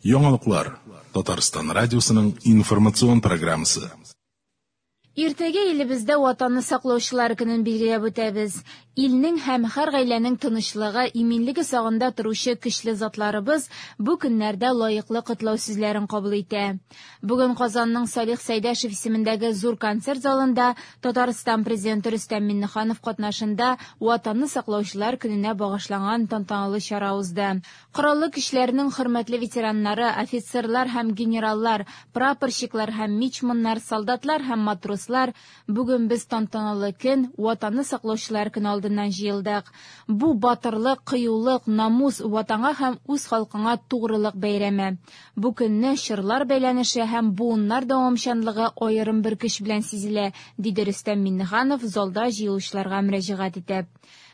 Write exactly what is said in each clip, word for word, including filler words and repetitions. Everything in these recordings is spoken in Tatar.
Яңалыклар Татарстан радиосының информацион программасы. Иртәгә илебездә Ватанны саклаучылар көнен билгеләп үтәбез. Илнең һәм һәр гаиләнең тынычлыгы, иминлеге сагында торучы көчле затларыбыз бу көннәрдә лаеклы котлау сүзләрен кабул итә. Бүген Казанның Салих Сәйдәшев исемендәге зур концерт залында Татарстан президенты Рөстәм Миңнеханов катнашында Ватанны саклаучылар көненә багышланган тантаналы чара узды. Кораллы көчләрнең хөрмәтле ветераннары, офицерлар һәм генераллар, прапорщиклар һәм мичманнар, солдатлар һәм матрослар, бүген без тантаналы көн, Ватанны саклаучылар көне алдыннан җыелдык. Бу батырлык, кыюлык, намус, ватанга һәм үз халкыңа тугрылык бәйрәме. Бу көнне чорлар бәйләнеше һәм буыннар дәвамчанлыгы аерым бер көч белән сизелә, диде Рөстәм Миңнеханов залда җыелучыларга мөрәҗәгать итеп.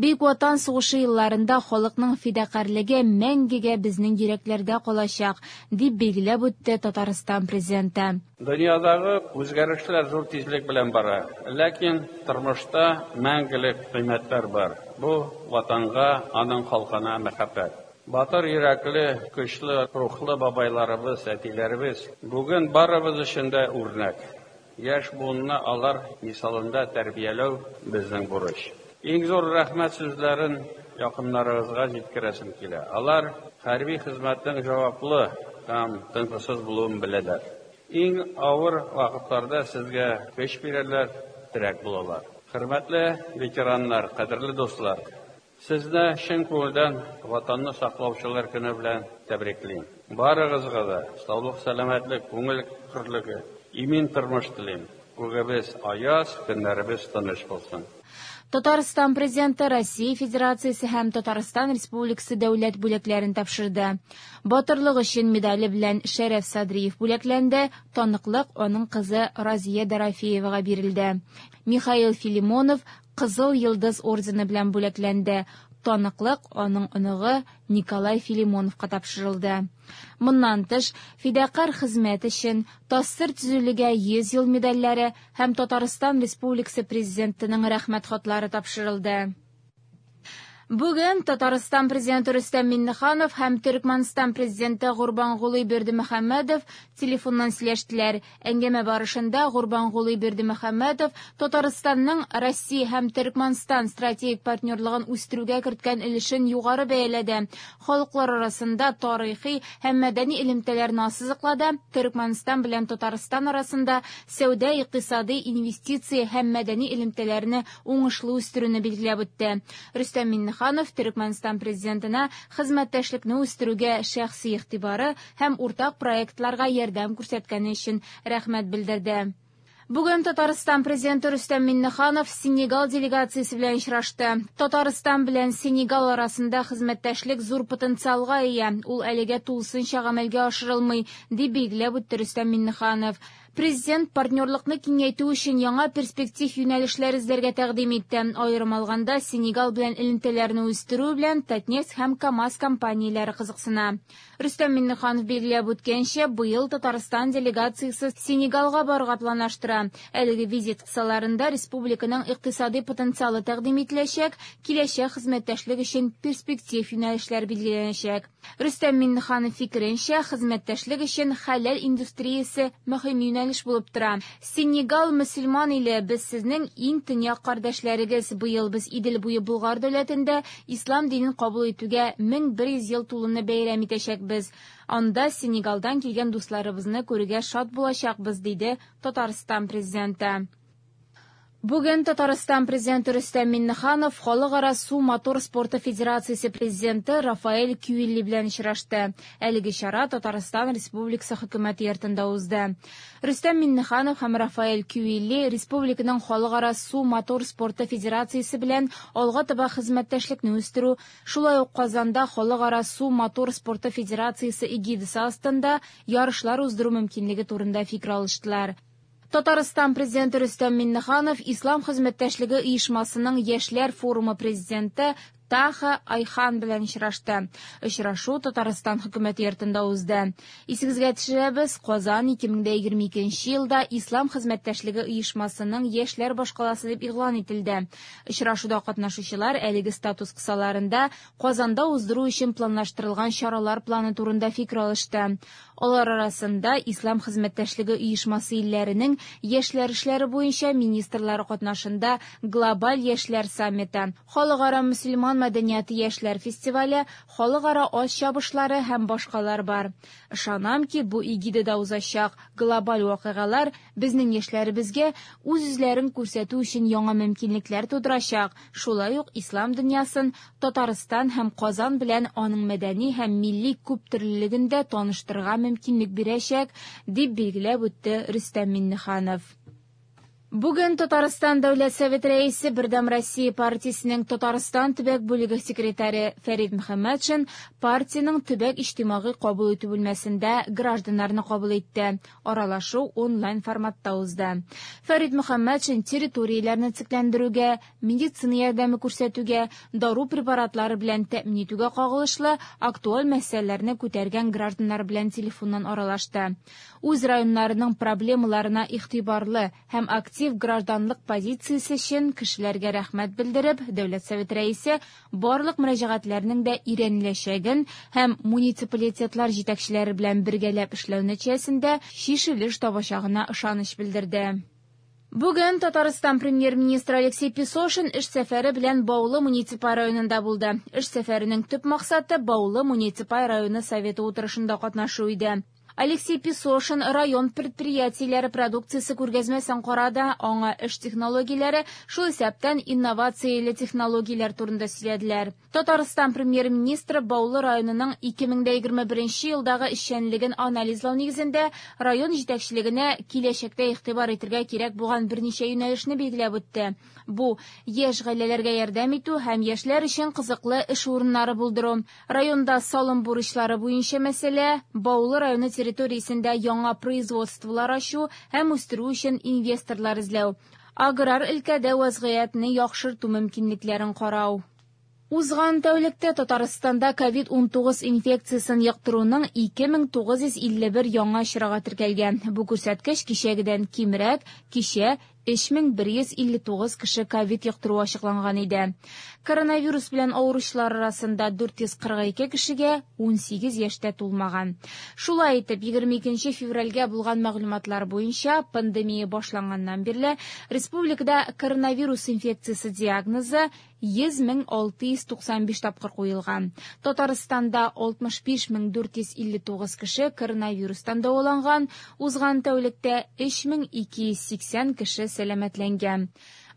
Бөек Ватан сугышы елларында халыкның фидакарьлеге мәңгегә безнең йөрәкләрдә калачак, дип билгеләп үтте Татарстан президенты. Дөньядагы үзгәрешләр зур тизлек белән бара, ләкин тормышта мәңгелек кыйммәтләр бар. Бу ватанга, аның халкына мәхәббәт. Батыр йөрәкле, көчле рухлы бабайларыбыз, әтиләребез бүген барыбыз өчен дә үрнәк. Яшь буынны алар мисалында тәрбияләү безнең бурыч. Иң зур рәхмәт сүзләрен якыннарыгызга җиткерәсем килә. Алар хәрби хезмәтнең җаваплы һәм тынгысыз булуын беләләр. Иң авыр вакытларда сезгә көч бирәләр, терәк булалар. Хөрмәтле ветераннар, кадерле дуслар, сезне чын күңелдән Ватанны саклаучылар көне белән тәбриклим. Барыгызга да саулык, сәламәтлек, күңел хөрлеге, имин тормыш телим. Күгебез аяз, көннәребез тыныч булсын. Татарстан президенты Россия Федерациясе һәм Татарстан Республикасы дәүләт бүләкләрен тапшырды. Батырлык өчен медале белән Шәрәф Садриев бүләкләнде, таныклык аның кызы Разия Дорофеевага бирелде. Михаил Филимонов Кызыл Йолдыз ордены белән бүләкләнде. Таныклык аның оныгы Николай Филимоновка тапшырылды. Моннан тыш, фидакарь хезмәт өчен ТАССР төзелүгә йөз ел медальләре һәм Татарстан Республикасы президентының рәхмәт хатлары тапшырылды. Бүген Татарстан президенты Рөстәм Миңнеханов һәм Төркмәнстан президенты Гурбангулы Бердымөхәммәдов телефоннан сөйләштеләр. Әңгәмә барышында Гурбангулы Бердымөхәммәдов Татарстанның Россия һәм Төркмәнстан стратегик партнерлыгын үстерүгә керткән өлешен югары бәяләде. Халыклар арасында тарихи һәм мәдәни элемтәләрне ассызыклады. Төркмәнстан белән Татарстан арасында сәүдә, икътисади, инвестиция һәм мәдәни элемтәләрне уңышлы үстерүне билгеләп үтте. Рөстәм Миңнеханов Төркмәнстан президентына хезмәттәшлекне үстерүгә шәхси игътибары һәм уртак проектларга ярдәм күрсәткәне өчен рәхмәт белдерде. Бүген Татарстан президенты Рөстәм Миңнеханов Сенегал делегациясе белән очрашты. Татарстан белән Сенегал арасында хезмәттәшлек зур потенциалга ия. Ул әлегә тулысынча гамәлгә ашырылмый, дип билгеләп үтте Рөстәм Миңнеханов. Президент партнерлыкны киңәйтү өчен яңа перспектив юнәлешләр эзләргә тәкъдим итте. Аерым алганда, Сенегал белән элемтәләрне үстерү белән Татнефть һәм КАМАЗ компанияләре кызыксына. Рөстәм Миңнеханов билгеләп үткәнчә, быел Татарстан делегациясе Сенегалга барырга планлаштыра. Әлеге визит кысаларында республиканың икътисади потенциалы тәкъдим ителәчәк, киләчәк хезмәттәшлек өчен перспектив юнәлешләр билгеләнәчәк. Рөстәм Миңнеханов фикеренчә, хезмәттәшлек өчен хәләл индустриясе мөһим юнәлеш булып тора. Сенегал мөселман иле, без сезнең иң төньяк кардәшләрегез. Быел без Идел буе Болгар дәүләтендә ислам динен кабул итүгә мең бер йөз ел тулуны бәйрәм итәчәкбез. Анда Сенегалдан килгән дусларыбызны күрергә шат булачакбыз, диде Татарстан президенты. Бүген Татарстан президенты Рөстәм Миңнеханов Халыкара су мотор спорты федерациясе президенты Рафаэль Кюилли белән очрашты. Әлеге чара Татарстан Республикасы хөкүмәте йортында узды. Рөстәм Миңнеханов һәм Рафаэль Кюилли республиканың Халыкара су мотор спорты федерациясе белән алга таба хезмәттәшлекне үстерү, шулай ук Казанда Халыкара су мотор спорты федерациясе эгидасы астында ярышлар уздыру мөмкинлеге турында фикер алыштылар. Татарстан президенты Рөстәм Миңнеханов Ислам хезмәттәшлеге оешмасының Яшьләр форумы президенты Таха Айхан белән очрашты. Очрашу Татарстан хөкүмәте йортында узды. Исегезгә төшерәбез, Казан ике мең дә егерме икенче елда Ислам хезмәттәшлеге оешмасының яшьләр башкаласы дип игълан ителде. Очрашуда катнашучылар әлеге статус кысаларында Казанда уздыру өчен планлаштырылган чаралар планы турында фикер алышты. Алар арасында Ислам хезмәттәшлеге оешмасы илләренең яшьләр эшләре буенча министрлары катнашында глобаль яшьләр саммиты, халыкара мөселман мәдәнияте яшьләр фестивале, халыкара ат чабышлары һәм башкалар бар. Ышанам ки, бу эгидада узачак глобаль вакыйгалар безнең яшьләребезгә үз-үзләрен күрсәтү өчен яңа мөмкинлекләр тудырачак. Шулай ук ислам дөньясын Татарстан һәм Казан белән аның мәдәни һәм милли күптөрлелеген дә таныштырырга мөмкинлек бирәчәк, дип билгеләп үтте Рөстәм Миңнеханов. Бүген Татарстан Дәүләт Советы рәисе, Бердәм Россия партиясенең Татарстан төбәк бүлеге секретаре Фәрид Мөхәммәтшин партиянең төбәк иҗтимагый кабул итү бүлмәсендә гражданнарны кабул итте. Аралашу онлайн форматта узды. Фәрид Мөхәммәтшин территорияләрне цикләндерүгә, медицина ярдәме күрсәтүгә, дару препаратлары белән тәэмин итүгә кагылышлы актуаль мәсьәләләрне күтәргән гражданнар белән телефоннан аралашты. Үз районнарының проблемаларына игътибарлы һәм актив гражданлык позициясе өчен кешеләргә рәхмәт белдереп, Дәүләт Советы рәисе барлык мөрәҗәгатьләрнең дә өйрәнеләчәген һәм муниципалитетлар җитәкчеләре белән бергәләп эшләү нәтиҗәсендә чишелеш табачагына ышаныч белдерде. Бүген Татарстан премьер-министры Алексей Песошин эш сәфәре белән Баулы муниципаль районында булды. Эш сәфәренең төп максаты Баулы муниципаль районы советы утырышында катнашу иде. Алексей Песошин район предприятиеләре продукциясе күргәзмәсен карады, аңа эш технологияләре, шул исәптән инновацияле технологияләр турында сөйләделәр. Татарстан премьер-министры Баулы районының ике мең дә егерме беренче елдагы эшчәнлеген анализлау нигезендә район җитәкчелегенә киләчәктә игътибар итәргә кирәк булган берничә юнәлешне билгеләп үтте. Бу яшь гаиләләргә ярдәм итү һәм яшьләр өчен кызыклы эш урыннары булдыру. Районда салым бурычлары буенча мәсьәлә, Баулы районы территориясендә яңа производстволар ачу һәм үстерү өчен инвесторлар эзләү, аграр өлкәдә вазгыятьне яхшырту мөмкинлекләрен карау. Узган тәүлектә Татарстанда ковид унтугыз инфекциясен йоктыруның ике мең тугыз йөз илле бер яңа очрагы теркәлгән. Бу күрсәткеч кичәгедән кимрәк, кичә өч мең бер йөз илле тугыз кеше ковид йоктыру ачыкланган иде. Коронавирус белән авыручылар арасында дүрт йөз кырык ике кешегә унсигез яшьтә тулмаган. Шулай итеп, егерме икенче февральгә булган мәгълүматлар буенча пандемия башланганнан бирле республикада коронавирус инфекциясе диагнозы йөз мең алты йөз туксан биш тапкыр куелган. Татарстанда алтмыш биш мең дүрт йөз илле тугыз кеше коронавирустан дәваланган, узган тәүлектә өч мең ике йөз сиксән кеше сәламәтләнгән.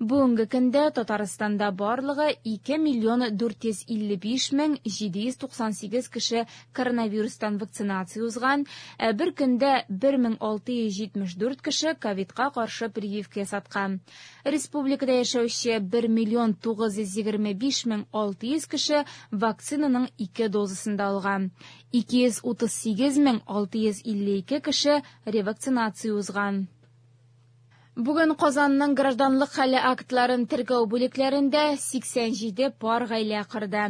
Бүгенге көндә Татарстанда барлыгы ике миллион дүрт йөз илле биш мең җиде йөз туксан сигез кеше коронавирустан вакцинация узган, ә бер көндә бер мең алты йөз җитмеш дүрт кеше ковидка каршы прививка ясаткан. Республикада яшәүче бер миллион тугыз йөз егерме биш мең алты йөз кеше вакцинаның ике дозасын да алган. Ике йөз утыз сигез мең алты йөз илле ике кеше ревакцинация узган. Бүген Казанның гражданлык хәле актларын теркәү бүлекләрендә сиксән җиде пар гаилә кырды.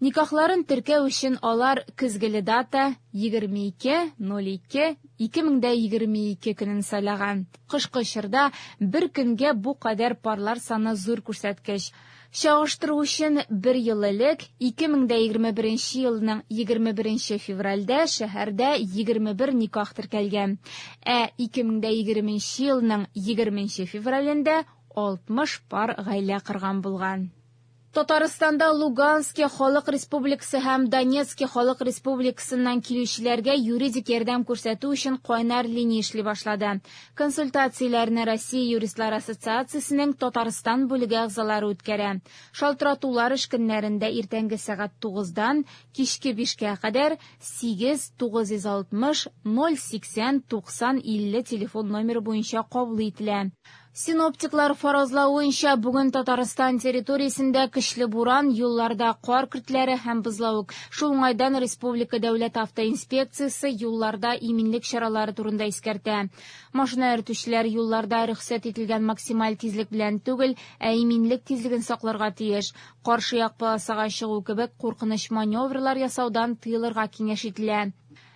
Никахларын теркәү өчен алар көзгеле дата егерме ике ноль ике ике мең дә егерме ике көнен сайлаган. Кышкы чорда бер көнгә бу кадәр парлар саны зур күрсәткеч. Чагыштыру өчен бер ел элек ике мең дә егерме беренче елның егерме беренче февральдә шәһәрдә егерме бер никах теркәлгән. Ә ике мең дә егерменче елның егерменче февралендә алтмыш пар гаилә кырган булган. Татарстанда Луганский халык республикасы һәм Донецкий халык республикасыннан килүчеләргә юридик ярдәм күрсәтү өчен кайнар линия эшли башлады. Консультацияләрне Россия юристлар ассоциациясенең Татарстан бүлеге әгъзалары үткәрә. Шалтыратулар эш көннәрендә иртәнге сәгать тугыздан кичке бишкә кадәр сигез тугыз йөз алтмыш ноль сиксән туксан илле телефон номеры буенча кабул ителә. Синоптиклар фаразлавынча, бүген Татарстан территориясендә көчле буран, юлларда кар көртләре һәм бозлавык. Шул уңайдан Республика дәүләт автоинспекциясе юлларда иминлек чаралары турында искәртә. Машина йөртүчеләр юлларда рөхсәт ителгән максималь тизлек белән түгел, ә иминлек тизлеген сакларга тиеш. Каршы як полосага чыгу кебек куркыныч маневрлар ясаудан тыелырга киңәш ителә.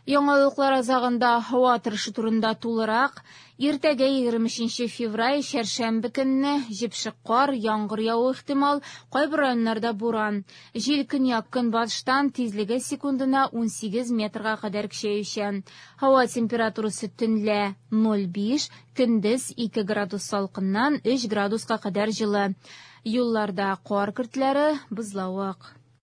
Яңалыклар азагында һава торышы турында тулырак. Иртәгә егерме өченче февраль чәршәмбе көнне җепшек кар, яңгыр явуы ихтимал, кайбер районнарда буран. Җил көньяк-көнбатыштан, тизлеге секундына ун сигез метрга кадәр көчәючән. Һава температурасы төнлә ноль биш, көндез ике градус салкыннан өч градуска кадәр җылы. Юлларда кар көртләре, бозлавык.